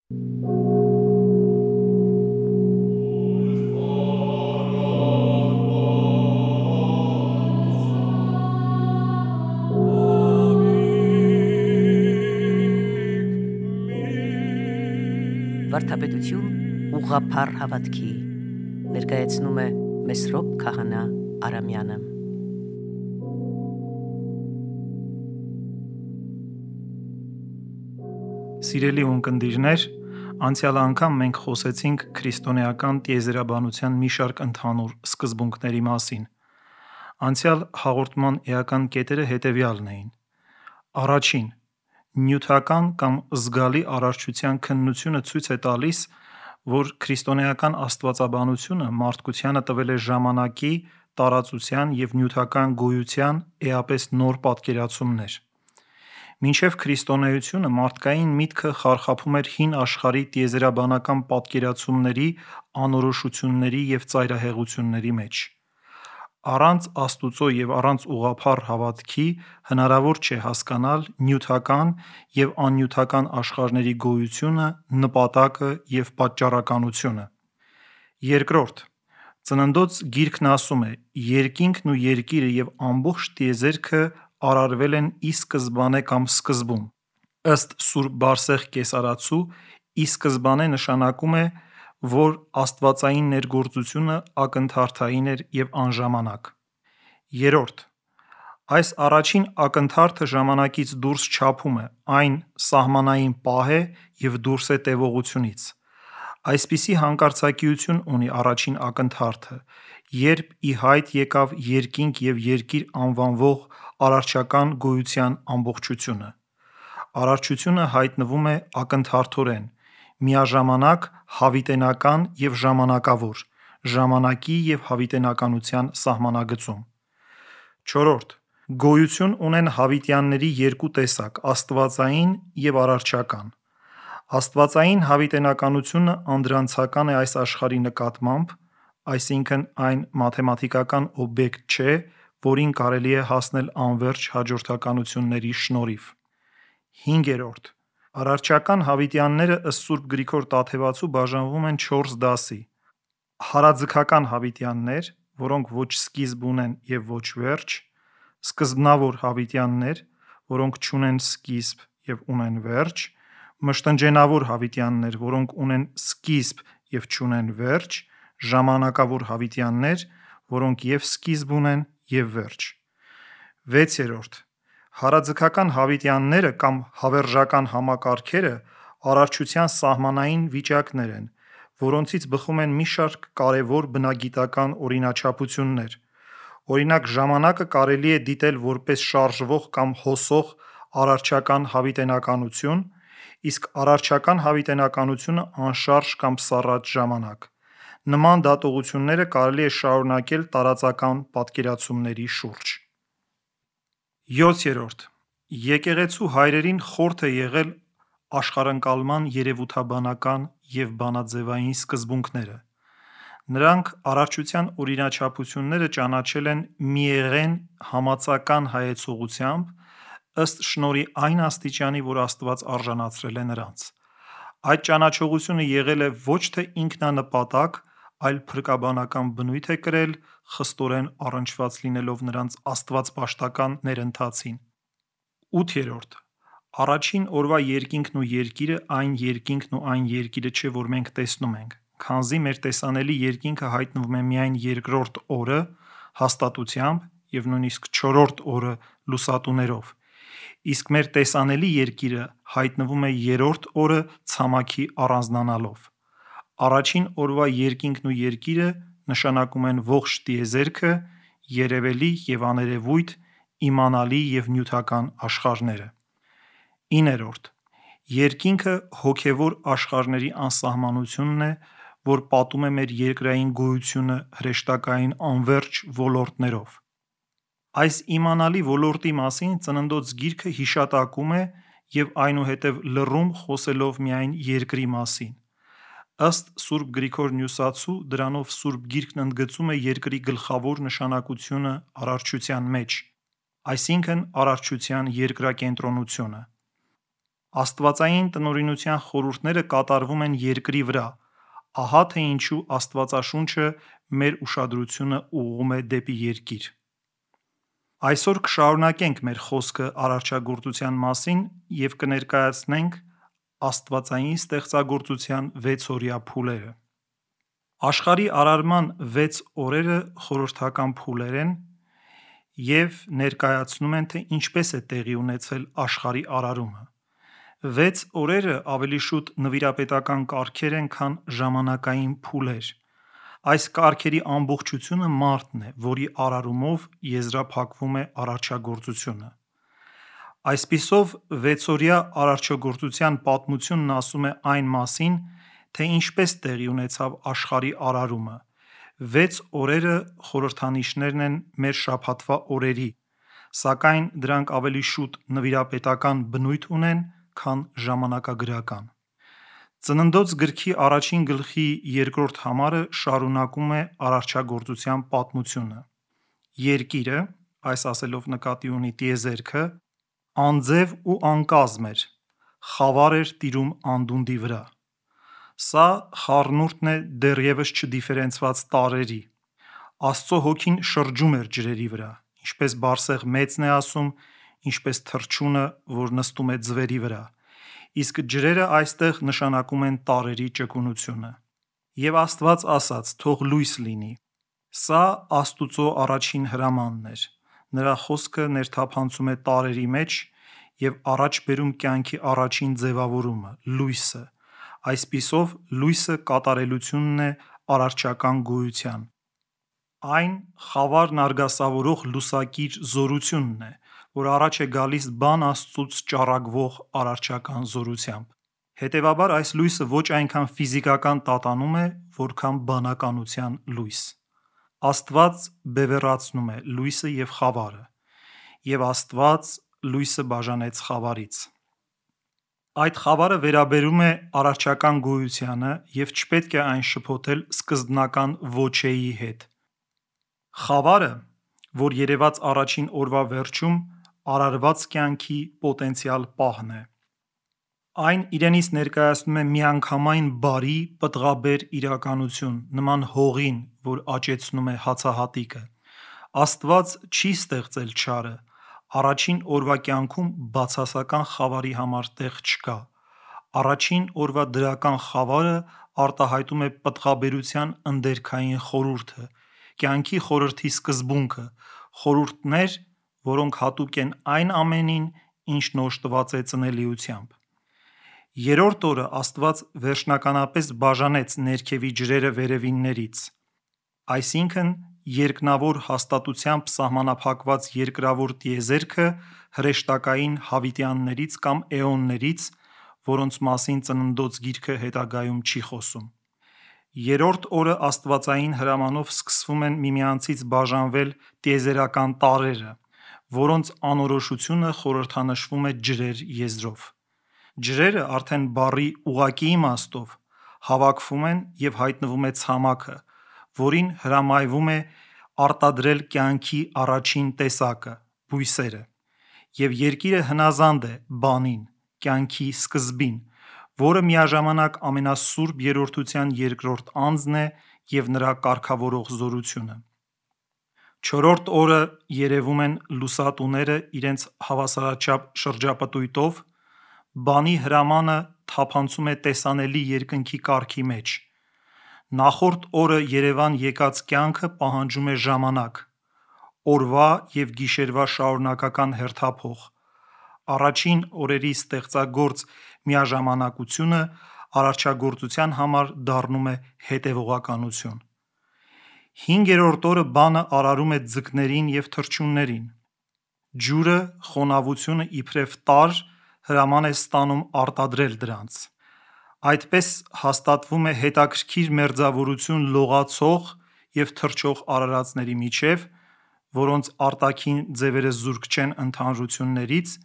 Վարդապետություն ուղղափառ հավատքի ներկայացնում է Մեսրոպ Քահանա Արամյանը։ Սիրելի ունկնդիրներ, անցյալ անգամ մենք խոսեցինք քրիստոնեական տիեզերաբանության մի շարք ընդհանուր սկզբունքների մասին։ Անցյալ հաղորդման էական կետերը հետևյալն էին. Առաջին, նյութական կամ զգալի արարչության քննությունը ցույց է տալիս, որ քրիստոնեական աստվածաբանությունը մարդկությանը տվել է ժամանակի, տարածության և նյութական գոյության էապես նոր պատկերացումներ։ Մինչև քրիստոնեությունը մարդկային միտքը խարխափում էր հին աշխարհի տիեզերաբանական պատկերացումների, անորոշությունների և ծայրահեղությունների մեջ։ Առանց Աստծո և առանց ուղղափառ հավատքի հնարավոր չէ հասկանալ նյութական և աննյութական աշխարհների գոյությունը, նպատակը և պատճառականությունը։ Երկրորդ, Ծննդոց գիրքն ասում է. «Երկինքն ու երկիրը և ամբողջ տիեզերքը արարվել են ի սկզբանե կամ սկզբում»։ Ըստ Սուրբ Բարսեղ կեսարացու, ի սկզբանե նշանակում է, որ աստվածային ներգործությունը ակնթարթային էր և անժամանակ։ Երրորդ, այս առաջին ակնթարթը ժամանակից դուրս չափում է, այն սահմանային պահ է և դուրս է տևողությունից։ Այսպիսի հանկարծակիություն ունի առաջին ակնթարթը, երբ ի հայտ եկավ երկինք և երկիր անվանվող արարչական գոյության ամբողջությունը։ Արարչությունը հայտնվում է ակնթարթորեն, միաժամանակ հավիտենական և ժամանակավոր, ժամանակի և հավիտենականության սահմանագծում։ Չորրորդ, գոյություն ունեն հավիտյանների երկու տեսակ՝ աստվածային և արարչական։ Աստվածային հավիտենականությունը անդրանցական է այս աշխարհի նկատմամբ, այսինքն այն մաթեմատիկական օբյեկտ չէ, որին կարելի է հասնել անվերջ հաջորդականությունների շնորհիվ։ Հինգերորդ, արարչական հավիտյանները ըստ Սուրբ Գրիգոր Տաթևացու բաժանվում են 4 դասի. հարաձգական հավիտյաններ, որոնք ոչ սկիզբ ունեն և ոչ վերջ, սկզբնավոր հավիտյաններ, որոնք չունեն սկիզբ և ունեն վերջ, մշտնջենավոր հավիտյաններ, որոնք ունեն սկիզբ և չունեն վերջ, ժամանակավոր հավիտյաններ, որոնք և սկիզբ ունեն և վերջ։ Վեցերորդ, հարաձգական հավիտյանները կամ հավերժական համակարգերը արարչության սահմանային վիճակներ են, որոնցից բխում են մի շարք կարևոր բնագիտական օրինաչափություններ։ Օրինակ, ժամանակը կարելի է դիտել որպես շարժվող կամ հոսող արարչական հավիտենականություն, իսկ արարչական հավիտենականությունը անշարժ կամ սառած ժամանակ։ Նման դատողությունները կարելի է շարունակել տարածական պատկերացումների շուրջ։ 7. Եկեղեցու հայրերին խորթ է եղել աշխարհընկալման երևութաբանական և բանաձևային սկզբունքները։ Նրանք արարչության օրինաչափությունները ճանաչել են միեղեն համացական հայեցողությամբ, ըստ շնորհի այն աստիճանի, որ Աստված արժանացրել է նրանց։ Այդ ճանաչողությունը եղել է ոչ թե ինքնանպատակ, այլ փրկաբանական բնույթ է կրել, խստորեն առնչված լինելով նրանց աստվածպաշտական ներընթացին։ 8. Առաջին օրվա երկինքն ու երկիրը այն երկինքն ու այն երկիրը չէ, որ մենք տեսնում ենք, քանզի մեր տեսանելի երկինքը հայտնվում է միայն երկրորդ օրը հաստատությամբ և նույնիսկ չորրորդ օրը լուսատուներով, իսկ մեր տեսանելի երկիրը հայտնվում է երրորդ օրը ցամաքի առանձնանալով։ Առաջին օրվա երկինքն ու երկիրը նշանակում են ողջ տիեզերքը, երևելի և աներևույթ, իմանալի և նյութական աշխարհները։ 9. Երկինքը հոգևոր աշխարհների անսահմանությունն է, որ պատում է մեր երկրային գոյությունը հրեշտակային անվերջ ոլորտներով։ Այս իմանալի ոլորտի մասին Ծննդոց գիրքը հիշատակում է և այնուհետև լռում խոսելով միայն երկրի մասին։ Ըստ Սուրբ Գրիգոր Նյուսացու, դրանով Սուրբ Գիրքն ընդգծում է երկրի գլխավոր նշանակությունը արարչության մեջ, այսինքն արարչության երկրակենտրոնությունը։ Աստվածային տնօրինության խորհուրդները կատարվում են երկրի վրա, ահա թե ինչու Աստվածաշունչը մեր ուշադրությունը ուղղում է դեպի երկիր։ Այսօր կշարունակենք մեր խոսքը արարչագործության մասին և կներկայացնենք աստվածային ստեղծագործության 6-օրյա փուլերը։ Աշխարհի արարման 6 օրերը խորհրդական փուլեր են և ներկայացնում են, թե ինչպես է տեղի ունեցել աշխարհի արարումը։ 6 օրերը ավելի շուտ նվիրապետական կարգեր են, քան ժամանակային փուլեր։ Այս կարգերի ամբողջությունը մարդն է, որի արարումով եզրափակվում է արարչագործությունը։ Այսպիսով, 6-օրյա արարչագործության պատմությունն ասում է այն մասին, թե ինչպես տեղի ունեցավ աշխարհի արարումը։ 6 օրերը խորհրդանիշներն են մեր շաբաթվա օրերի, սակայն դրանք ավելի շուտ նվիրապետական բնույթ ունեն, քան ժամանակագրական։ Ծննդոց գրքի 1 գլխի 2-րդ համարը շարունակում է արարչագործության պատմությունը։ Երկիրը, այս ասելով նկատի ունի տիեզերքը, անձև ու անկազմ էր, խավար էր տիրում անդունդի վրա։ Սա խառնուրդն է դեռևս չդիֆերենցված տարրերի։ Աստծո հոգին շրջում էր ջրերի վրա, ինչպես Բարսեղ մեծն է ասում, ինչպես թռչունը, որ նստում է ձվերի վրա, իսկ ջրերը այստեղ նշանակում են տարրերի ճկունությունը։ Եվ Աստված ասաց. «Թող լույս լինի»։ Սա Աստուծո առաջին հրամանն էր։ Նրա խոսքը ներթափանցում է տարրերի մեջ և առաջ բերում կյանքի առաջին ձևավորումը՝ լույսը։ Այսպիսով, լույսը կատարելությունն է արարչական գոյության։ Այն խավարն արգասավորող լուսակիր զորությունն է, որ առաջ է գալիս բան Աստծուց ճառագվող արարչական զորությամբ։ Հետևաբար, այս լույսը ոչ այնքան ֆիզիկական տատանում է, որքան բանականության լույս։ Աստված բևեռացնում է լույսը և խավարը, և Աստված լույսը բաժանեց խավարից։ Այդ խավարը վերաբերում է արարչական գոյությանը և չպետք է այն շփոթել սկզբնական ոչեի հետ։ Խավարը, որ երևաց առաջին օրվա վերջում, արարված կյանքի պոտենցիալ պահն է։ Այն իրենից ներկայացնում է միանգամայն բարի, պտղաբեր իրականություն, նման հողին, որ աճեցնում է հացահատիկը։ Աստված չի ստեղծել չարը։ Առաջին օրվա կյանքում բացասական խավարի համար տեղ չկա։ Առաջին օրվա դրական խավարը արտահայտում է պտղաբերության ընդերքային խորհուրդը, կյանքի խորհրդի սկզբունքը, խորհուրդներ, որոնք հատուկ են այն ամենին, ինչն օժտված է ծնելիությամբ։ Երրորդ օրը Աստված վերջնականապես բաժանեց ներքևի ջրերը վերևիններից, այսինքն երկնավոր հաստատությամբ սահմանափակված երկրավոր տիեզերքը հրեշտակային հավիտյաններից կամ էոններից, որոնց մասին Ծննդոց գիրքը հետագայում չի խոսում։ Երրորդ օրը աստվածային հրամանով սկսվում են միմյանցից բաժանվել տիեզերական տարրերը, որոնց անորոշությունը խորհրդանշվում է ջրեր եզրով։ Ջրերը արդեն բառի ուղղակի իմաստով հավաքվում են և հայտնվում է ցամաքը, որին հրամայվում է արտադրել կյանքի առաջին տեսակը՝ բույսերը, և երկիրը հնազանդ է բանին, կյանքի սկզբին, որը միաժամանակ ամենասուրբ երրորդության երկրորդ անձն է և նրա կարգավորող զորությունը։ Չորրորդ օրը երևում են լուսատուները իրենց հավասարաչափ շրջապտույտով, բանի հրամանը թափանցում է տեսանելի երկնքի կարգի մեջ։ Նախորդ օրը երևան եկած կյանքը պահանջում է ժամանակ, օրվա և գիշերվա շարունակական հերթափոխ։ Առաջին օրերի ստեղծագործ միաժամանակությունը արարչագործության համար դառնում է հետևողականություն։ Հինգերորդ օրը բանը արարում է ձկներին և թռչուններին։ Ջուրը, խոնավությունը իբրև տարր հրաման է ստանում արտադրել դրանց։ Այդպես հաստատվում է հետաքրքիր մերձավորություն լողացող և թռչող արարածների միջև, որոնց արտաքին ձևերը զուրկ չեն ընդհանրություններից,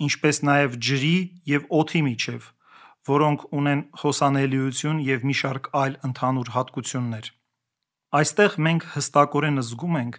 ինչպես նաև ջրի և օդի միջև, որոնք ունեն հոսանելիություն և մի շարք այլ ընդհանուր հատկություններ։ Այստեղ մենք հստակորեն զգում ենք,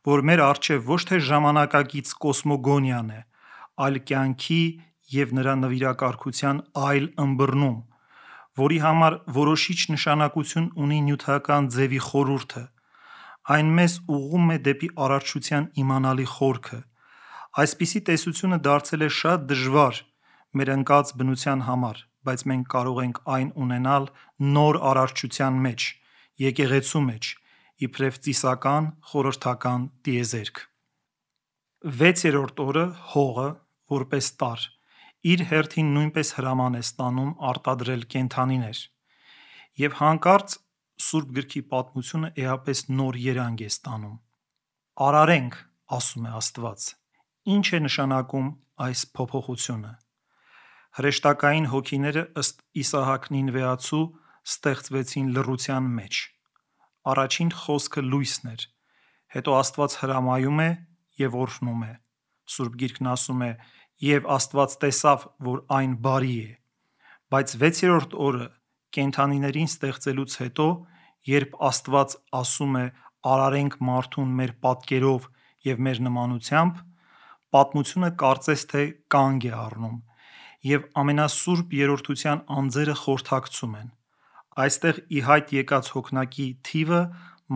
որ մեր առջև ոչ թե ժամանակակից կոսմոգոնիան է, այլ կյանքի և նրա նվիրակարգության այլ ըմբռնում, որի համար որոշիչ նշանակություն ունի նյութական ձևի խորհուրդը, այն մեզ ուղղում է դեպի արարչության իմանալի խորքը։ Այսպիսի տեսությունը դարձել է շատ դժվար մեր ընկած բնության համար, բայց մենք կարող ենք այն ունենալ նոր արարչության մեջ, եկեղեցու մեջ, իբրև ծիսական խորհրդական տիեզերք։ 6-րդ օրը հողը, որպես տարր, իր հերթին նույնպես հրաման է ստանում արտադրել կենդանիներ, և հանկարծ Սուրբ գրքի պատմությունը էապես նոր երանգ է ստանում։ Արարենք, ասում է Աստված։ Ինչ է նշանակում այս փոփոխությունը։ Հրեշտակային հոգիները ըստ Իսահակ Նինվեացու ստեղծվեցին լռության մեջ։ Առաջին խոսքը լույսն էր, հետո Աստված հրամայում է և օրհնում է։ Սուրբ Գիրքն ասում է. «Եվ Աստված տեսավ, որ այն բարի է»։ Բայց 6-րդ օրը կենդանիներին ստեղծելուց հետո, երբ Աստված ասում է արարենք մարդուն մեր պատկերով և մեր նմանությամբ, պատմությունը կարծես թե կանգ է առնում, և ամենասուրբ երրորդության անձերը խորհրդակցում են։ Այստեղ ի հայտ եկած հոգնակի թիվը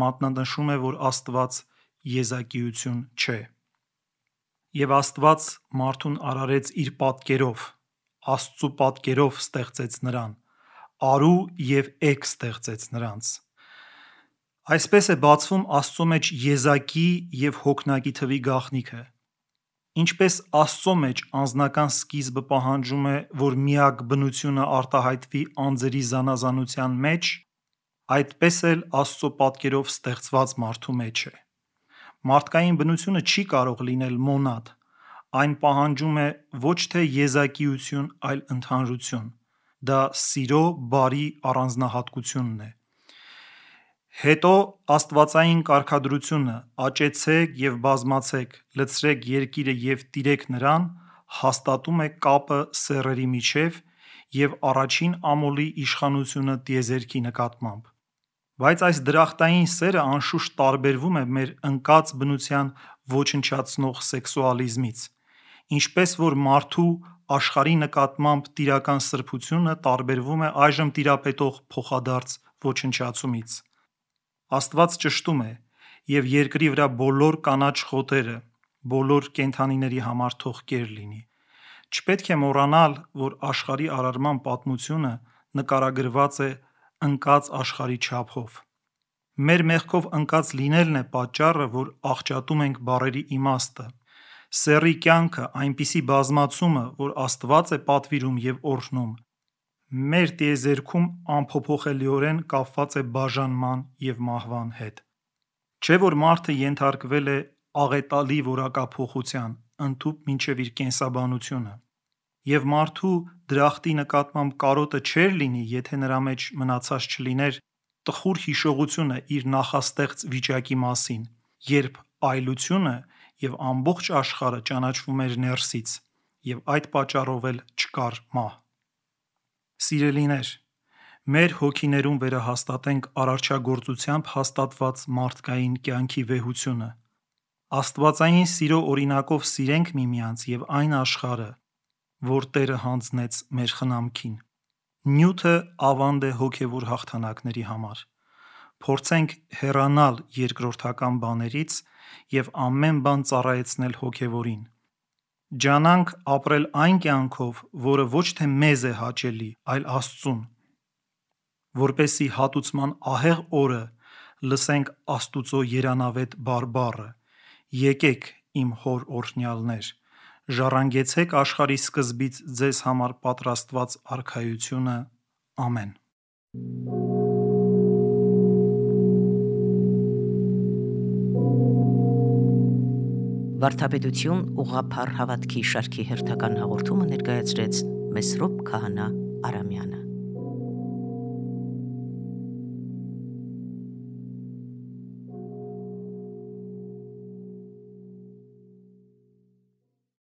մատնանշում է, որ Աստված եզակիություն չէ։ Եվ Աստված մարդուն արարեց իր պատկերով, Աստծու պատկերով ստեղծեց նրան, արու և էգ ստեղծեց նրանց։ Այսպես է բացվում Աստծո մեջ եզակի և հոգնակի թվի գաղտնիքը։ Ինչպես Աստծո մեջ անձնական սկիզբը պահանջում է, որ միակ բնությունը արտահայտվի անձերի զանազանության մեջ, այդպես էլ Աստծո պատկերով ստեղծված մարդու մեջ է։ Մարդկային բնությունը չի կարող լինել մոնադ, այն պահանջում է ոչ թե եզակիություն, այլ ընդհանրություն։ Դա սիրո բարի առանձնահատկությունն է։ Հետո աստվածային կարգադրությունը՝ աճեցեք և բազմացեք, լցրեք երկիրը և տիրեք նրան, հաստատում է կապը սեռերի միջև և առաջին ամոլի իշխանությունը տիեզերքի նկատմամբ։ Բայց այս դրախտային սերը անշուշտ տարբերվում է մեր ընկած բնության ոչնչացնող սեքսուալիզմից, ինչպես որ մարդու աշխարհի նկատմամբ տիրական սրբությունը տարբերվում է այժմ տիրապետող փոխադարձ ոչնչացումից։ Աստված ճշտում է, և երկրի վրա բոլոր կանաչ խոտերը, բոլոր կենդանիների համար թող կեր լինի։ Չպետք է մոռանալ, որ աշխարհի արարման պատմությունը նկարագրված է ընկած աշխարհի չափով։ Մեր մեղքով ընկած լինելն է պատճառը, որ աղճատում ենք բառերի իմաստը։ Սեռի կյանքը, այնպիսի բազմացումը, որ Աստված է պատվիրում և օրհնում, մեր տիեզերքում անփոփոխելիորեն կապված է բաժանման և մահվան հետ։ Չէ՞ որ մարդը ենթարկվել է աղետալի որակափոխության, ընդհուպ մինչև իր կենսաբանությունը, և մարդու դրախտի նկատմամբ կարոտը չէր լինի, եթե նրա մեջ մնացած չլիներ տխուր հիշողությունը իր նախաստեղծ վիճակի մասին, երբ այլությունը և ամբողջ աշխարհը ճանաչվում էր ներսից, և այդ պատճառով էլ չկար մահ։ Սիրելիներ, մեր հոգիներում վերահաստատենք արարչագործությամբ հաստատված մարդկային կյանքի վեհությունը։ Աստվածային սիրո օրինակով սիրենք միմյանց և այն աշխարհը, որ Տերը հանձնեց մեր խնամքին։ Նյութը ավանդ է հոգևոր հաղթանակների համար։ Փորձենք հեռանալ երկրորդական բաներից և ամեն բան ծառայեցնել հոգևորին։ Ջանանք ապրել այն կյանքով, որը ոչ թե մեզ է հաճելի, այլ Աստծուն, որպեսզի հատուցման ահեղ օրը լսենք Աստուծո երանավետ բարբառը. «Եկեք, իմ հոր օրհնյալներ, ժառանգեցեք աշխարհի սկզբից ձեզ համար պատրաստված արքայությունը»։ Ամեն։ Վարդապետություն ուղղափառ հավատքի շարքի հերթական հաղորդումը ներկայացրեց Մեսրոպ Քահանա Արամյանը։